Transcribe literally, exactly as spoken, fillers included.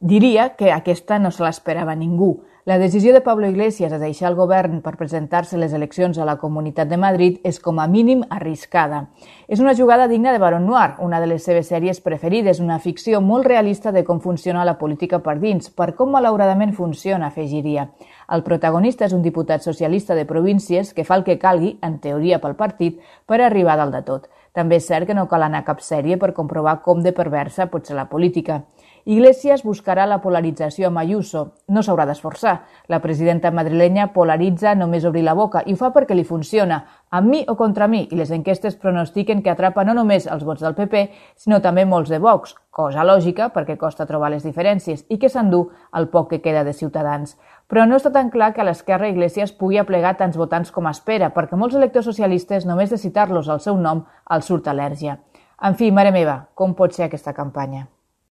Diria que aquesta no se l'esperava ningú. La decisió de Pablo Iglesias de deixar el govern per presentar-se a les eleccions a la Comunitat de Madrid és com a mínim arriscada. És una jugada digna de Baron Noir, una de les seves sèries preferides, una ficció molt realista de com funciona la política per dins, per com malauradament funciona, afegiria. El protagonista és un diputat socialista de províncies que fa el que calgui, en teoria pel partit, per arribar dalt de tot. També és cert que no cal anar a cap sèrie per comprovar com de perversa pot ser la política. Iglesias buscarà la polarització amb Ayuso. No s'haurà d'esforçar. La presidenta madrilenya polaritza només obrir la boca i ho fa perquè li funciona, amb mi o contra mi, i les enquestes pronostiquen que atrapa no només els vots del P P, sinó també molts de Vox, cosa lògica perquè costa trobar les diferències i que s'endú el poc que queda de Ciutadans. Però no està tan clar que a l'esquerra Iglesias pugui aplegar tants votants com espera, perquè molts electors socialistes, només de citar-los al seu nom, els surt al·lèrgia. En fi, mare meva, com pot ser aquesta campanya?